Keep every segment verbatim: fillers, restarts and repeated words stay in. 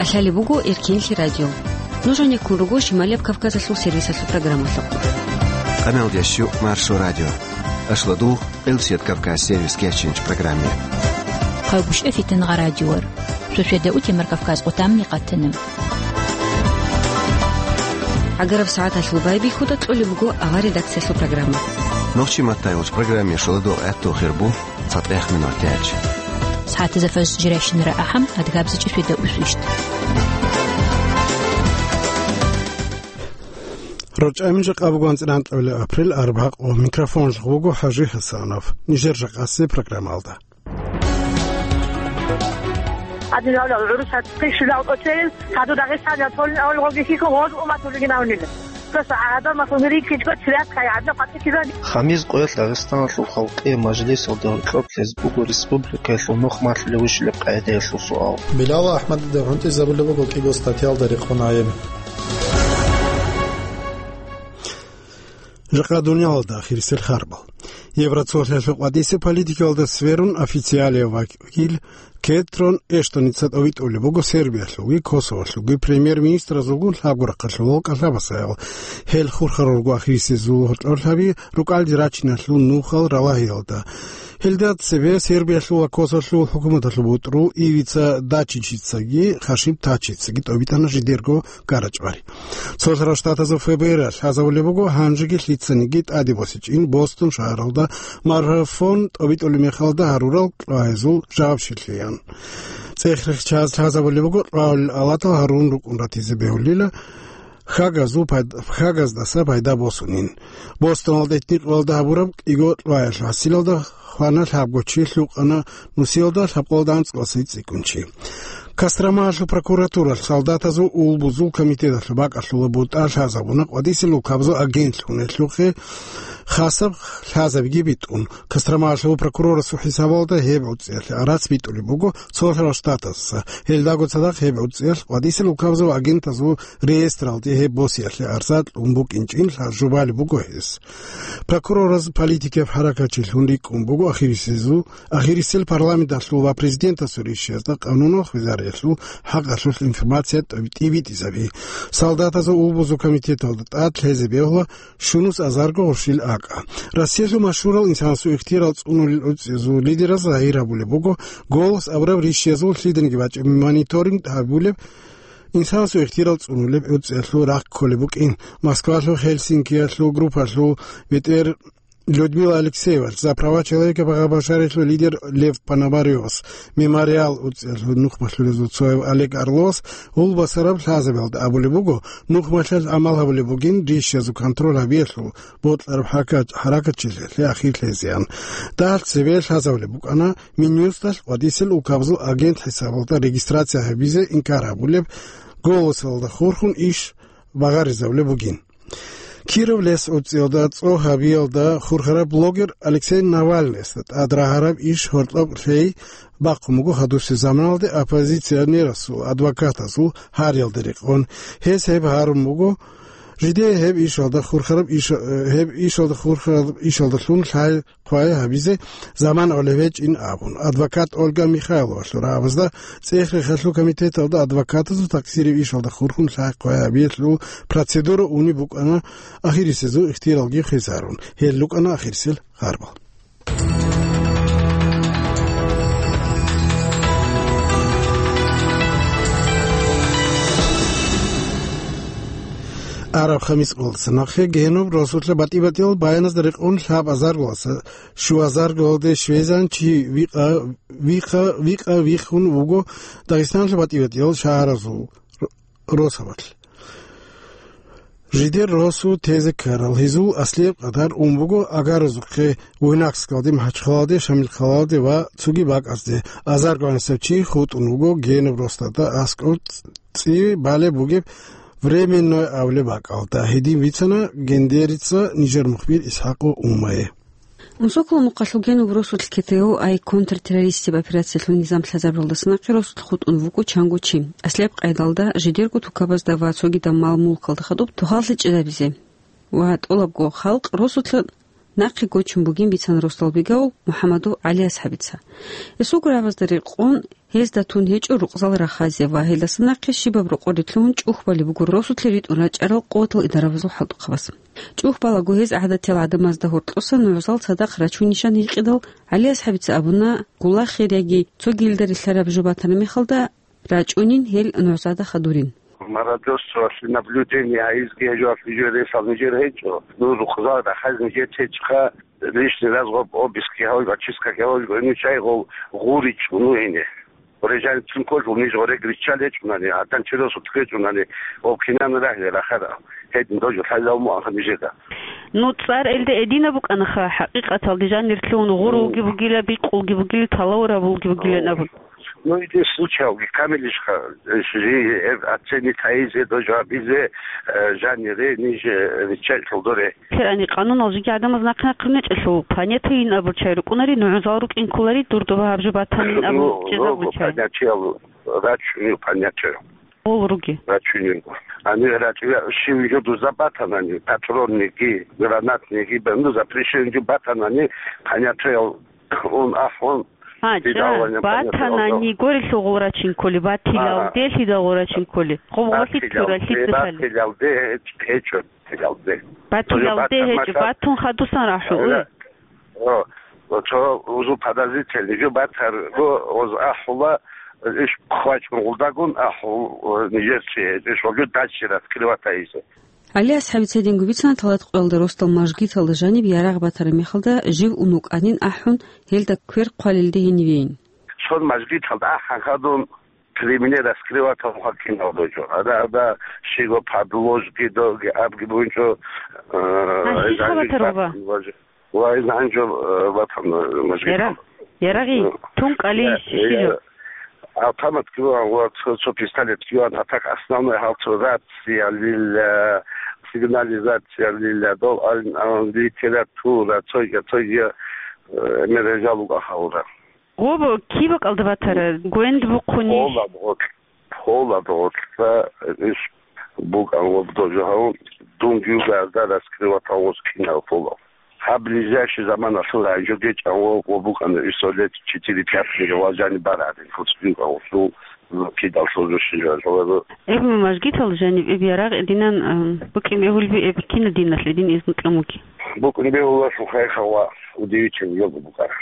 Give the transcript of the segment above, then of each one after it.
Лъалеб буго Эркенлъи радио. Нуж гьанеккун руго Шималияб Кавказалъул сервисалъул программалъухъ. Къамалдиясчу Маршо радио. Ашладугъ, Къилсият Кавказ сервис кечинч программе. Хъайгъушъа фитангъа радиор. Шошведа утемар Кавказ къутамни къатана. Агараб сагӀаталъул байбихьуда кьолеб буго авар редакциялъул программа. Нохчи маттайгъуч программе шоладугъ гӀатту хирбу. ЦатӀех минутач. СагӀатазда фажр жирайщинара ахӀам, адгабзичӀеб шведа усвищ. РорчӀамин жакъа буго анцӀила анкьабилеб апрель, арбагъ, ва микрофонлъ вуго ХӀажи ХӀасанов. Нижер жакъасеб программалда. Адинавла гӀурусат къишилал тӀоцел, хадур Дагъистаниялъ толин авал гъоги хихьун гъоз умат вугин авнила. Просто гӀадамал гьунириккичӀго цвят хъай гӀадна къватӀи кидан. Хамиз къоялъ Дагъистаналъул халкъие мажлисалда гьоркьоб лъез буго республикаялъул нух малъулев вугилеб къагӀидаялъул суал. Билал АхӀмадида гӀунтӀизабулеб буго кӀиго статьялда рекъон гӀайиб. Жакъа дуниялалда ахирисел харбал. Евроцолъиялъул къватӀисе политикалда сверун официалияв вакил Кетрон Эштоница тӀовитӀулеб буго Сербиялъулги Косоволъулги премьер-министразулгун лъабго рахъалъулал кӀалъабасаял. Гьел хурхарурго ахирисезул гьоркьорлъаби рукӀалде рачиналъул нухал ралагьиялда. Гьелда цебе Сербиялъул ва Косоволъул хӀукуматалъул бутӀрул Ивица Дачичицаги Хашим Тачицаги тӀовитӀана жидерго гарачӀвари. Цолъарал Штатазул ФБР лъазабулеб буго гьанжеги лъицаниги тӀаде босичӀин Бостон шагьаралда марафон тӀобитӀулеб мехалда гьарурал кьвагьазул жавабщинлъиян. ЦӀех-рехчаз лъазабулеб буго кьвагьулел алатал гьарун рукӀун ратизе бегьулила хагазул пайд-, хагаздаса пайда босунин. Бостоналда этникъвалда гьабураб кӀиго кьвагьалъ гьасилалда хвана лъабго чи, лъукъана нусиялда лъабкъоялда анцӀкъоялдаса цӀикӀкӀун чи. Костромаялъул прокуратуралъ солдатазул улбузул комитеталъул бакӀалъула бутӀа лъазабуна къватӀисел улкабазул агентлъун гьелъухъе хасаб лъазабиги битӀун. Костромаялъул прокурорасул хӀисабалда гьеб гӀуцӀиялъе арц битӀулеб буго цолъарал штатазаса. Гьелдаго цадахъ гьеб гӀуцӀиялъ къватӀисел улкабазул агентазул реестралде гьеб босиялъе арза кьун букӀинчӀин лъа-, жубалеб буго гьес. Прокурораз политикияб хӀаракатчилъун рикӀкӀун буго ахирисезул, ахирисел парламенталъул ва президентасул ришшиязда къануналъ хвезариялъул хӀакъалъулъ информация тӀибитӀизаби. Солдатазул улбузул комитеталда тӀад лъезе бегьула щунус азарго гъурщил акӀа. Россиялъул машгьурал инсанасул ихтиярал цӀунулел гӀуцӀиязул лидераз загьир гьабулеб буго, «Голос» абураб ришшиязул лъиданиги бачӀеб мониторинг гьабулеб инсанасул ихтиярал цӀунулеб гӀуцӀиялъул рахъ кколеб букӀин. Москвалъул, Хельсинкиялъул группалъул бетӀер Людмила Алексеевалъ, «За права человека» багъа-башарилъул лидер Лев Пономарёвас, «Мемориал» гӀуцӀиялъул нух малъулезул цояв Олег Орловас гьул басараб лъазабиялда абулеб буго, нух малъалъ гӀамал гьабулеб бугин ришшиязул контроль гьабиялъул бокьараб хӀака-, хӀаракатчилъиялъе ахир лъезеян. Дагьалъ цебе лъазабулеб букӀана Минюсталъ къватӀисел улкабазул агент хӀисабалда регистрация гьабизе инкар гьабулеб, «Голосалда» хурхун иш багъаризабулеб бугин. Кировлъес гӀуцӀиялда цӀо гьабиялда хурхараб блогер Алексей Навальныйасда тӀад рагьараб иш гьоркьоб лъей бахъун буго гьадусеб заманалде оппозиционерасул адвокатазул гьариялда рекъон. Гьес гьеб гьарун буго, жидее гьеб ишалда хурхараб иш-, гьеб ишалда хурхараб ишалдалъун лъай хъвай гьабизе заман гӀолеб гьечӀин абун. Адвокат Ольга Михайловалъул рагӀабазда цӀех-рехалъул комитеталда адвокатазул такъсиреб ишалда хурхун лъай хъвай гьабиялъул процедура унеб букӀана ахирисезул ихтияралги хвезарун. Гьел рукӀана ахирисел харбал. Араб хамис къоялдаса нахъе Генуб росулъа батӀи-батӀиял баяназда рекъон лъабазарго щуазаргалде щвезан чи вихъа, вихъа, вихъа вихун вуго Дагъистаналъул батӀи-батӀиял шагьаразул р-, росабалъ. Жидер росу тезе ккарал гьезул аслияб къадар ун буго агарозухъе Буйнакскалде, МахӀачхъалалде, Шамилхъалалде ва цоги бакӀазде. Азарго гӀанасеб чи хутӀун вуго Генуб росдада аскӀов цӀи балеб бугеб Временной абулеб бакӀалда. Гьедин бицана Гендерица нижер мухбир Исхакъо Умае. Унсоколо мухъалъул Генуб росулъ КТО-I контртеррористияб операциялъул низам лъазабуралдаса нахъе росулъ хутӀун вукӀо чанго чи. Аслияб къайдалда жидерго тукабазда ва цогидаб мал-мулкалда хадуб тухал лъечӀезабизе ва тӀолабго халкъ росулъа Нахъе гочун бугин бицана росдал бигавул МухӀаммадов ГӀали асхӀабица. Гьесул гурабазда рекъон гьезда тун гьечӀо рукъзал рахазе ва гьелдаса нахъе щибаб рокъоре лъугьун чӀухь балеб буго росулъе ритӀун рачӀарал къуватал идарабазул хӀалтӀухъабаз. ЧӀухь балаго гьез гӀадатиял гӀадамазда гьоркьоса нугӀзал цадахъ рачунищан гьикъидал, ГӀали асхӀабица абуна, гулахъе яги цогилда рилълъараб жо батана мехалда, рачӀунин гьел нугӀзада хадурин. Мародерствоялъе наблюдение гьайизги гьечӀо, нижер ресал нижер гьечӀо. Ну, рукъзал рахаз нижер течха, лишний раз гъоб обыски гьавулго, очистка гьавулго, ну, чай гъол гъуричӀо, ну, ине. Режан цин кожул ниж гъорег риччал гьечӀунани, гьадан чиросу тукечӀунани, об кинан рагьле рахара. Гьедин дожо лъалав муанха нижеда. Ну, цӀар элде эдина букӀанаха, хӀакъикъаталде жанир лъугьун гъур вуги бугила, бикъулги бугили, талавурабулги бугилан абун. Ну, иде случайги камилищха, жи, э, оценить гьайизе, дожо абизе, э, жанире, ниж, э, риччал кьолдоре. Терани къанунал жиги гӀадамаз нахъ-нахъ рунечӀелъул, понятийин абурчай рукӀунари, нугӀзал рукӀин кколари, дурдуба гьаб жо батанин абун Ну, чӀезабучай. Понятиял рачунил понятие. Гъол руги. Рачунил. Ани рачуя, шив жо дуза батанани, патронниги, гранатниги, бе-, ну, запрещен жо батанани, понятиял ун ахун, ГьачӀа, пидавлани батанани понятиял. Горелъул гъол рачин кколи, батилалде, Ага. Лъидал гъол рачин кколи. Гъол гъолъи Батилалде, цуралъи цӀалъали. Батилалде, гьечӀо, батилалде. Батилалде Тоже гьечӀо, батан батун хадусан рахӀу, Ага. уй. О, о, цо узу подозрительный жо батарго, оз ахула, иш хвачун гъулдагун ахул, о, нижер чи, иш вагю дальше раскрывать айзе. ГӀали асхӀабица гьединго бицана талат къоялда росдал мажгиталда жаниб ярагъ батараб мехалда жив ун вукӀанин ахӀун, гьелда квер хъвалелде гьенивейин. Цон мажгиталда ахӀан хадун, при мне раскрывать гьабун хӀаккинал дойчӀо. Ада, ада, щиго подложки, доги, абги бугьинчӀо, э, Гьанже эзанги хабатар, баба? Ва из гьанжо, э, ватан, э, мажгит. Яра-, ярагъи, Э, тун кӀали э, щи-, щи жо? э, автомат киван ва цо, цо пистолет киван, а так основной гьал цо рация лила, сигнализация лила, дол ал-, а, литература, цойга, цойга, э, мережа луга гьавра. Гъоб ки бакӀалда батара, гвенд бухъуни? Холад гъоркь, холад гъоркьа иш букӀан ва дожагьав дун гилгазда раскрыватал гъоз кинал пола. Гьаб ближайший заманалъул гьанжо гечӀан ва, ва букӀана иш лет четыре-пять мегавал жани барадин, фуцбин гъавлъул, кидал лъурушин жо. Эб мажгитал жаниб эб ярагъ эдинан, ам, букӀин бегьулби эб кина диналъ эдин изну кьамуги? БукӀин бегьуласул хайхава удивительный його букӀара.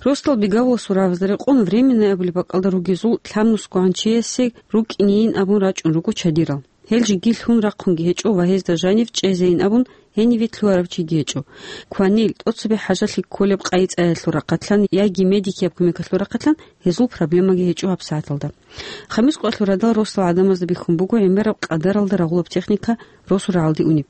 Росдал бигавуласул рагӀабазда рекъон временный абулеб бакӀалда ругезул лъабнусгогӀан чиясе рукӀинейин абун рачӀун руго чадирал. Гьел жиги лъун рахъунги гьечӀо ва гьезда жанив чӀезейин абун гьениве лъугьарав чиги гьечӀо. Кванил, тӀоцебе хӀажалъи кколеб къайи-цӀаялъул рахъалъан яги медикияб кумекалъул рахъалъан гьезул проблемаги гьечӀо гьабсагӀаталда. Хамис къоялъул радал росдал гӀадамазда бихьун буго гӀемераб къадаралда рагъулаб техника росу рагӀалде унеб.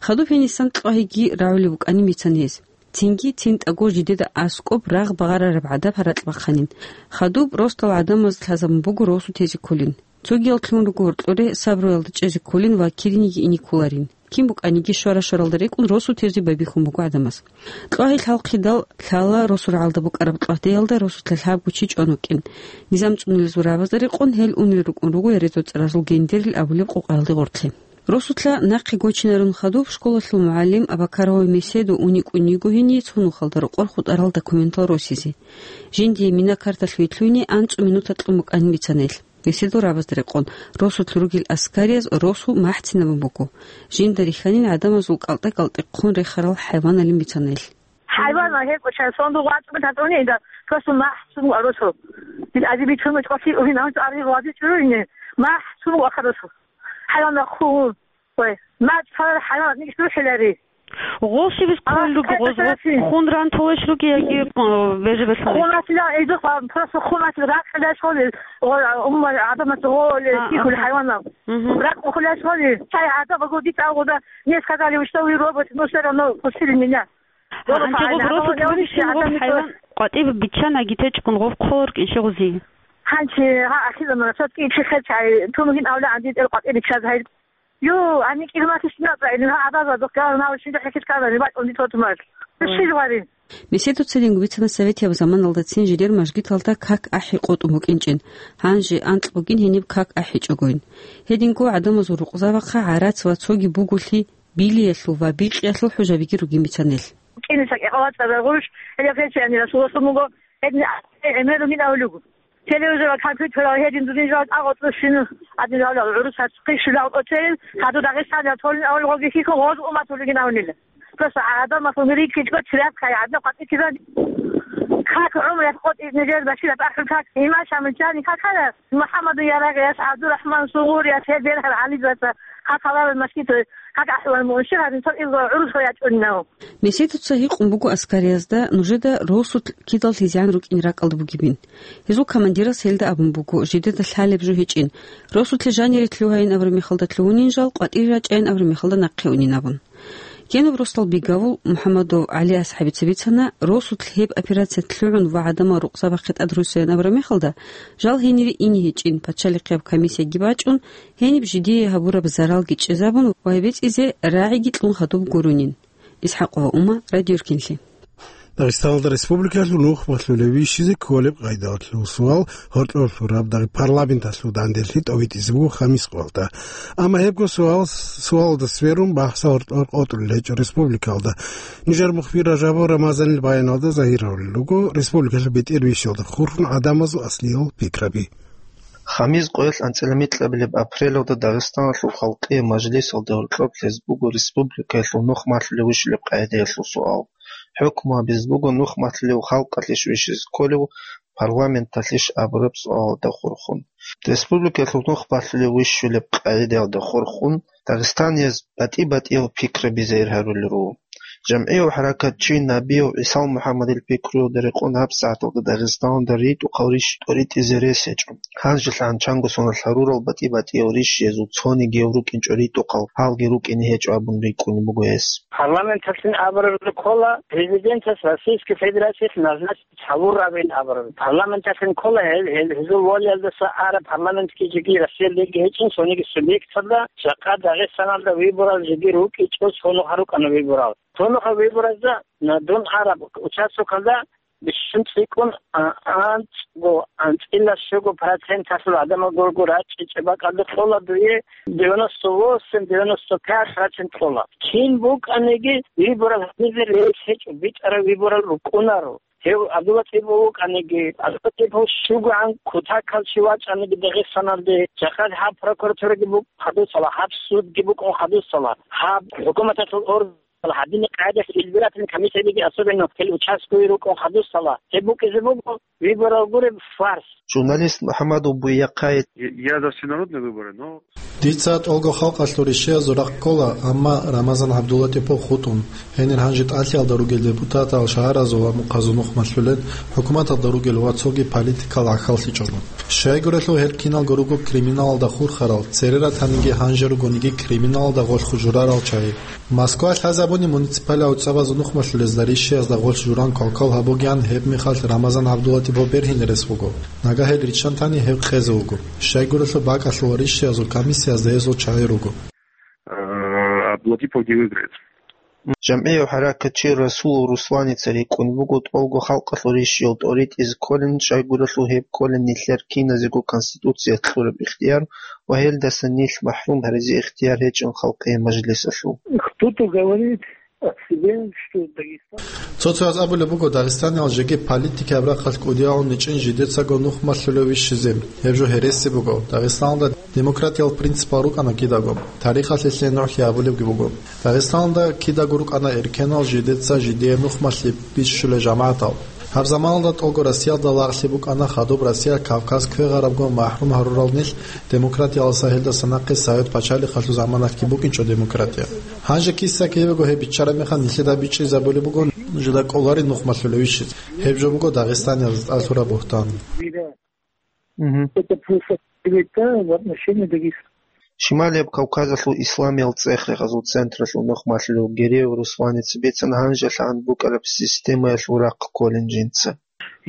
Хадуб гьенисан кьвагьиги рагӀулеб букӀанин бицан гьез. Цинги цинтӀаго жидеда аскӀоб рагъ багъарараб гӀадаб гьаракь бахъанин. Хадуб росдал гӀадамаз лъазабун буго росу тезе кколин. Цогиял лъун руго гьоркьоре сабруялда чӀезе кколин ва кириниги ине кколарин. Кин букӀаниги щвара-щваралда рекӀун росу тезе байбихьун буго гӀадамаз. Кьвагьи лъалхъидал лъала росу рагӀалда букӀараб кьвагьдеялда росулъа лъабго чи чӀван вукӀин. Низам цӀунулезул рагӀабазда рекъон гьел унел рукӀун руго Ярецо цӀаразул Гендерил абулеб къокъаялде гъоркье. Росулъа нахъе гочинарун хадуб школалъул мугӀалим Абакарова Меседо уникӀун йиго гьение цо нухалда рокъор хутӀарал документал росизе. Жиндие мина-карталъ вилълъуйни анцӀу минуталъ кьун букӀанин бицана гьелъ. Меседо рагӀабазда рекъон, росулъ ругел аскарияз росу махӀцинабун буго. Жинда рихьанин гӀадамазул кӀалтӀа-кӀалтӀихъун рехарал хӀайваналин бицана гьелъ. ХӀайван гьеб кӀоча сондугъ вачӀун татуни инда, просто махӀцун ва росу. Дил азиби чумачӀ къоси угьин анцӀ ари вази чӀуруйни, махӀцун ва харусу. ХӀайван хун. Ой, мацӀ царал хӀайван ниш рухӀилари. Гъол щибис хъун руги, гъоз, гъоз хун ран толеш руги яги, э, бежебелъун? Хун ратила, эйдухъ, а, просто хун ратила, ракъ хилаш гъоли, гъо-, умма, гӀадамат гъоли, а, кихули, а, хӀайванал. Мгм. Ракъ хилаш гъоли, цай гӀадаб гъоди цӀалгъуда, не сказали, что вы робот, но всё равно пустили меня. А, анти гъоб росу тунугин гъоб хӀайван къватӀиб биччан агитечӀун гъоб хъолор кӀинчи гъузи. Гьанчи, гьа, ахиран, сотки чи хел чай, тунугин авла анди тӀел къватӀиб биччаз гьай. Ю, ани кӀирмалъи щинал цӀайилин, гьа, абаза духъ гавар нав шинда хӀехьиз ккарани, бакӀунди тотумал. Ой. Щил варин? Меседуца динго бицана советияб заманалдацин жидер мажгиталда как ахӀи къотӀун букӀинчӀин, гьанже анкь бугин гьениб как ахӀичӀогойин. Гьединго гӀадамазул рукъзабахъа гӀарац ва цоги буголъи билиялъул ва бикъиялъул хӀужабиги ругин бицана гьелъ. КӀиниса кӀикъоялда цӀарал гъурущ, гьеле гьечи гьанирасуласун буго, гьедин гӀемерун ин авлугу. Телевизорал, компьютерал гьедин дудин жал агъоцӀусин, гьадин жал гӀурусац хъишулал тӀоцерил, хадур Дагъистаниял толин авлугоги хихьун гъоз уматулигин авнила. Просто гӀадамалъун риккичӀго чират хъай гӀадна къватӀи кидан. Как гӀумру къотӀи нижер башираб ахӀун как, имам Шамилчани какара, МухӀаммадун Ярагъияс, ГӀабдурахӀман Сугъурияс, гьел берхӀал гӀалидаса, как гьаларал машгидал, как ахӀулан мунши гьарин цо илгъа гӀурус хвей ячӀунинав. Меседуца гьикъун буго аскариязда нужеда росулъ кидал лъизегӀан рукӀин ракӀалда бугебин. Гьезул командирас гьелда абун буго, жидеда лъалеб жо гьечӀин. Росулъе жанире лъугьайин абураб мехалда лъугьунин жал, къватӀире рачӀайин абураб мехалда нахъе унин абун. Генаб росдал бигавул МухӀаммадов ГӀали асхӀабица бицана, росулъ гьеб операция лъугӀун ва гӀадамал рукъзабахъе тӀад руссейин абураб мехалда, жал гьенире ине гьечӀин, пачалихъияб комиссияги бачӀун, гьениб жидее гьабураб заралги чӀезабун ва гьеб бецӀизе рагӀиги кьун хадуб гурунин. ИсхӀакъова Ума, Радио Иркинлъи. Дагъистаналда республикалъул нух малъулев вищизе кколеб къайдалъул суал гьоркьор лъураб дагъи парламенталъул данделъи тӀовитӀизе буго хамис къоялда. Амма гьебго суал, суалда сверун бахса гьоркьор къотӀулел гьечӀо республикалда. Нижер мухбир Ражабов Рамазанил баяналда загьир гьарулел руго республикалъул бетӀер вищалда хурхун гӀадамазул аслиял пикраби. Хамис къоялъ анцӀила микьабилеб апрелалда Дагъистаналъул халкъие мажлисалда гьоркьоб лъезе буго республикаялъул нух малъулев вищулеб къагӀидаялъул суал. ХӀукму гьабизе буго нух малъулев халкъалъищ вищизе кколев, парламенталъищ абураб суалалда хурхун. Республикаялъул нух малъулев вищулеб къагӀидаялда хурхун Дагъистанияз батӀи-батӀиял пикраби загьир гьарулел руго. ЖамгӀияв хӀаракатчи Набиев ГӀисал МухӀаммадил пикруялда рекъон гьабсагӀаталда Дагъистаналда ритӀухъал рищ тӀоритӀизе рес гьечӀо. Гьанжелъ гьанчанго соналъ гьарурал батӀи-батӀиял рищиязул цониги гьев рукӀинчӀо ритӀухъал, гьалги рукӀине гьечӀо абун рикӀкӀунеб буго гьес. Парламенталъин абураб ккола президентас Российской Федерациялъ назначить гьавурабин абураб. Парламенталъин ккола гьел, гьел, гьезул волиялдаса араб парламентги жеги Россиялдаги гьечӀин, цониги субъекталда, жакъа Дагъистаналда выборал жеги рукӀичӀо, цо нухалъ рукӀана выборал. Цо нухалъ выборазда, на, дун араб участокалда бищун цӀикӀкӀун, а, анцӀго, анцӀила щуго проценталъул гӀадамал гурого рачӀичӀеб бакӀалда кьола дуе девяносто восемь, девяносто пять процент кьола. Кин букӀаниги, выборал гьабизе рес гьечӀо, бичӀчӀараб выборал рукӀунаро. Гьев ГӀабдуллатӀипов вукӀаниги, ГӀабдуллатӀипов щугоан кутакал чи вачӀаниги Дагъистаналде, жакъа гьаб прокуратураги букӀун хадусала, гьаб судги букӀун хадусала, гьаб хӀукуматалъул орган гьадинаб къагӀидаялъ избирательный комиссиялиги, особенно гьел участковый рукӀун хадусала, гьеб букӀизе буго выборал гуреб фарс. Журналист МухӀаммадов Буякъай. Я, я за всенародные выборы, но... Дица тӀолго халкъалъул рищиязул рахъ ккола, амма Рамазан ГӀабдуллатӀипов хутӀун, гьенир гьанже ТӀалъиялда ругел депутатал, шагьаразул ва мухъазул нух малъулел, хӀукуматалда ругел ва цоги политикал гӀахьаллъичӀого. Щайгурелъул гьел киналго руго криминалалда хурхарал, цере ратаниги гьанже ругониги криминалалда гъолъ хужурарал чагӀи. Москва лъазабуни муниципалияб цӀабазул нух малъулезда рищиязда гъолъ журан квалквал гьабугеян, гьеб мехалъ Рамазан ГӀабдуллатӀипов бергьинерес вуго. Нагагь гьел риччан тани гьеб къезе вуго. Щайгурелъул бакӀалъул ва рищиязул комиссиязда гьезул чагӀи руго. Э, Абдулатипов не выиграет. ЖамгӀияв хӀаракатчи Расулов Русланица рикӀкӀун буго тӀолго халкъалъул рищиял тӀоритӀизе кколин, щайгурелъул гьеб кколин нилъер киназего Конституциялъ кьураб ихтияр ва гьелдаса нилъ махӀрум гьаризе ихтияр гьечӀин халкъие мажлисалъул. Кто-то говорит о себе, что Дагестан... Цо-цояз абулеб буго, Дагъистаниял жеги политикияб рахъалъ кӀудиялъун гьечӀин жидецаго нух малъулев вищизе. Гьеб жо гьереси буго. Дагъистаналда демократиял принципал рукӀана кидаго. Тарихалъе лъен нугӀлъи абулебги буго. Дагъистаналда кидаго рукӀана эркенал жидеца жидее нух малъи бищулел жамагӀатал. Гьаб заманалда тӀолго Россиялда лагълъи букӀана хадуб Россия Кавказ квегъарабго махӀрум гьарурал нилъ, демократиялдаса гьелдаса нахъе Совет пачалихъалъул заманалъги букӀинчӀо демократия. Гьанже киса-кивего гьеб биччараб мехалъ нилъеда бичӀчӀизабулеб буго, нужеда кӀоларин нух малъулев вищизе. Гьеб жо буго Дагъистаниялда тӀад лъураб бугьтан. Мгм. Это просто клевета в отношении Дагестана. Шималияб Кавказалъул исламиял цӀех-рехазул централъул нух малъулев Гереев Русланица бицана гьанжелъагӀан букӀараб системаялъул рахъ кколин жинца.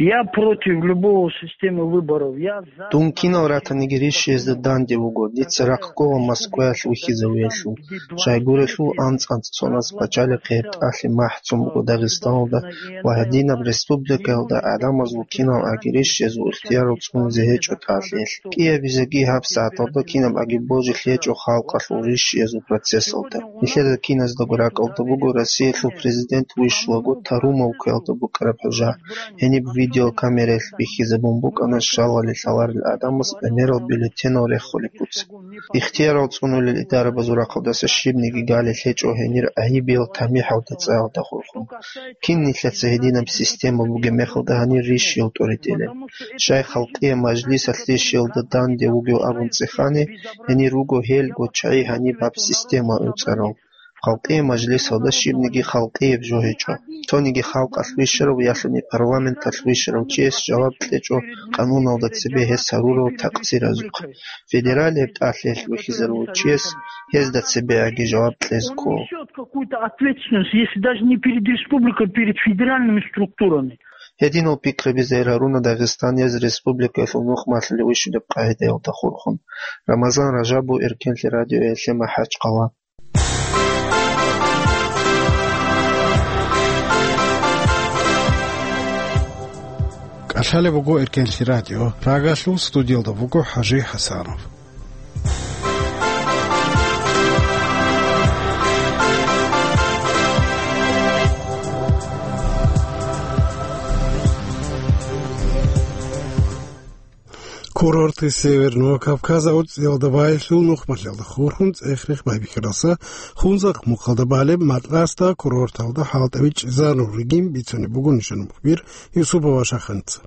Я против любого системы выборов. Я за... Дун кинал ратаниги рищиязда данде вуго, дица рахъ ккола Москваялъ вихьизавиялъул. Щайгурелъул, анцӀ-анцӀ цонас пачалихъи гьеб тӀалъи махӀцун буго Дагъистаналда ва гьединаб республикаялда гӀадамазул кинал аги рищиязул ихтиярал цӀунизе гьечӀо тӀалъиялъ. КӀиабизеги гьабсагӀаталда кинаб аги божилъи гьечӀо халкъалъул рищиязул процессалда. Нилъеда киназдаго ракӀалда буго Россиялъул президент вищулаго Тарумовкаялда букӀараб хӀужа, гьениб видеокамераялъ бихьизабун букӀана щалали лъаларел гӀадамаз гӀемерал бюллетенал рехулеб буцеб. Ихтиярал цӀунулел идарабазул рахъалдаса щибниги галилъ гьечӀо гьенир гӀайибиял тамихӀалда цӀаялда хурхун. Кин нилъеца гьединаб система бугеб мехалда гьанир рищиял тӀуритӀилеб? Щай халкъияб мажлисалъ рищиялда данде вугев абун цӀехани, гьенир руго гьелго чагӀи гьаниб гьаб система гӀуцӀарал. Халкъияб мажлисалда щибниги халкъияб жо гьечӀо. Цониги халкъалъ вищарав ялъуни парламенталъ вищарав чияс жаваб кьечӀо къануналда цебе гьес гьарурал такъсиразухъ. Федералияб тӀалъиялъ вихьизарулев чияс гьезда цебегӀаги жаваб кьезе ккола. Несёт какую-то ответственность, если даже не перед республикой, перед федеральными структурами. Гьединал пикраби загьир гьаруна дагъистанияз республикаялъул нухмалъулев вищулеб къагӀидаялда хурхун. Рамазан Ражабов, Эркенлъи радиоялъе, МахӀачхъала. КӀалъалеб буго Эркенлъи радио. Прагалъул студиялда буго ХӀажи ХӀасанов. Курорты Северного Кавказа гӀуцӀиялда байбихьул нухмалъиялда хурхун цӀех-рех байбихьаралса, Хунзахъ мухъалда балеб Матласда курорталда хӀалтӀаби чӀезарун ругин бицунеб буго нижер мухбир Юсупова Шаханица.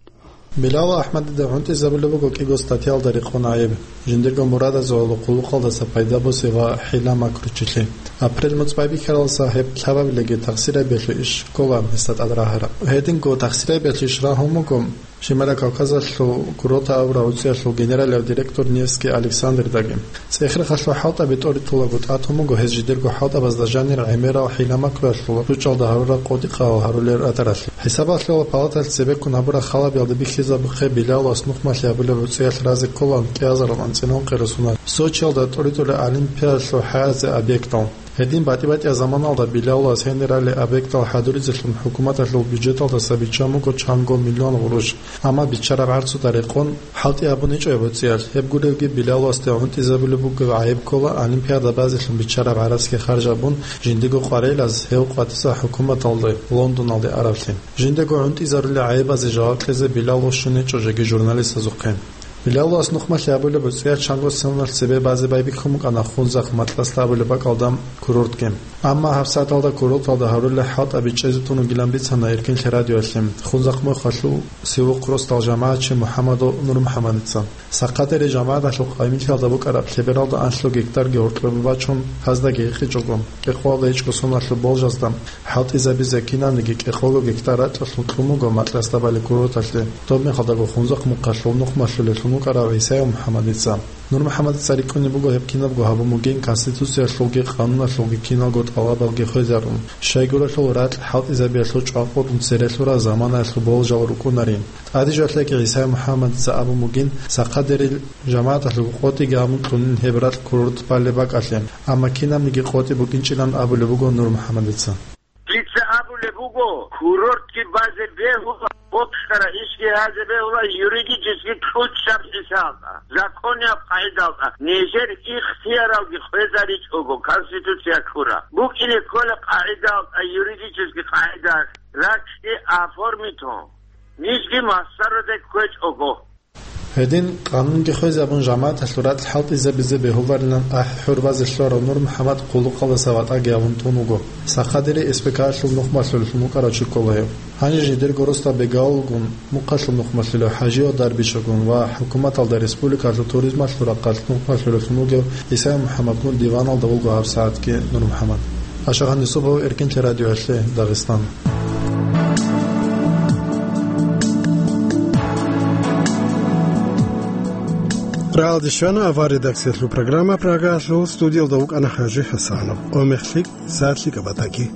Билал АхӀмадида гӀунтӀизабулеб буго кӀиго статьялда рекъон гӀайиб: жиндирго мурадазул гьалу хъулухъалдаса пайда босе ва хӀила-макручилъи. Апрель муцӀ байбихьаралса гьеб лъабабилеги тахсирабиялъул иш ккола гьесда тӀад рагьараб. Гьединго тахсирабиялъул иш рагьун буго Шимала Кавказалъул курорт абураб гӀуцӀиялъул генералияб директор Невский Александрдаги. ЦӀех-рехалъул хӀалтӀаби тӀоритӀулаго тӀатун буго гьез жидерго хӀалтӀабазда жанир гӀемерал хӀила-макруялъул ручӀалда гьарурал къотӀи-къагьал гьарулел ратаралъи. ХӀисабалъулаб палаталъ цебеккун гьабураб халабиялда бихьизабухъе Билалас нухмалъи гьабулеб гӀуцӀиялъ разе кколаан кӀиазарал анцӀила ункъи росуна Сочиялда тӀоритӀулеб Олимпиадалъул хӀаразе объектал. Гьедин батӀи-батӀияб заманалда Билалас гьенирали объектал хӀадуризелъун хӀукуматалъул бюджеталдаса биччан буго чанго миллион гъурущ, амма биччараб гӀарцуда рекъон хӀалтӀи гьабун гьечӀо гьеб гӀуцӀиялъ. Гьеб гуревги Билаласде гӀунтӀизабулеб бугеб гӀайиб ккола Олимпиада базелъун биччараб гӀарацги харж гьабун, жиндего къварилъизе гьев къватӀиса хӀукуматалде Лондоналде араблъи. Жиндего гӀунтӀизарулел гӀайибазе жаваб кьезе Билал вощун гьечӀо жеги журналистазухъе. Билалас нухмалъи гьабулеб гӀуцӀиялъ чанго соналъ цебе базе байбихьун букӀана Хунзахъ Матласда абулеб бакӀалда курортги. Амма гьабсагӀаталда курорталда гьарулел хӀалтӀаби чӀезе тун вугилан бицана Эркенлъи радиоялъе Хунзахъ мухъалъул Севухъ росдал жамагӀатчи МухӀамадов НурмухӀамадица. Сахъадери жамагӀаталъул къайилъиялда букӀараб лъебералда анлъго гектарги гьоркьоб бачун, гьаздаги гьикъичӀого, кӀикъоялда гьечӀго соналъул болжазда хӀалтӀизабизе кинабниги кӀикъого гектар ракьалъун кьун буго Матласда балеб курорталъе, доб мехалдаго Хунзахъ мухъалъул нухмалъулевлъун вукӀарав ГӀисаев МухӀамадица. НурмухӀамадица рикӀкӀунеб буго гьеб кинабго гьабун бугин Конституциялъулги къануналъулги киналго тӀалабалги хвезарун, щайгурелъул ракь хӀалтӀизабиялъул чӀвакъулъун церелъурал заманаялъул болжал рукӀунарин. ТӀадежалъеги ГӀисаев МухӀамадица абун бугин, Сахъадерил жамагӀаталъул къотӀиги гьабун кьунин гьеб ракь курорт балеб бакӀалъе, амма кинабниги къотӀи букӀинчӀилан абулеб буго НурмухӀамадица. Дица абулеб буго, курортги базе бегьула, бокьараб ишги гьазе бегьула юридически кьучӀаб хӀисабалда, законияб къагӀидалда, нижер ихтияралги хвезаричӀого Конституция ккура. БукӀине ккола къагӀидалда, юридически къагӀида, ракьги оформитун, нижги масароде кквечӀого. Гьедин, къанунги хвезабун, жамагӀаталъул ракь хӀалтӀизабизе бегьуларилан ахӀи-хӀурбазе лъурав НурмухӀамад хъулухъалдаса ватӀаги гьавун тун вуго. Сахъадери СПК-лъул нухмалъулелъун вукӀарав чи ккола гьев. Гьанже жидерго росдал Бегавулгун, мухъалъул нухмалъулев ХӀажиял Дарбишагун ва хӀукуматалда республикалъул туризмалъул рахъалъ нухмалъулевлъун вугев ГӀисаев МухӀамадгун диваналда вуго гьабсагӀатги НурмухӀамад. Ашагьан Юсупов, Эркенлъи радиоялъе, Дагъистан. Рагьалде щвана авария редакциялъул программа Прагалъул, студиялда вукӀана ХӀажи ХӀасанов. Омехлъи сагӀат лъикӀаб батаги.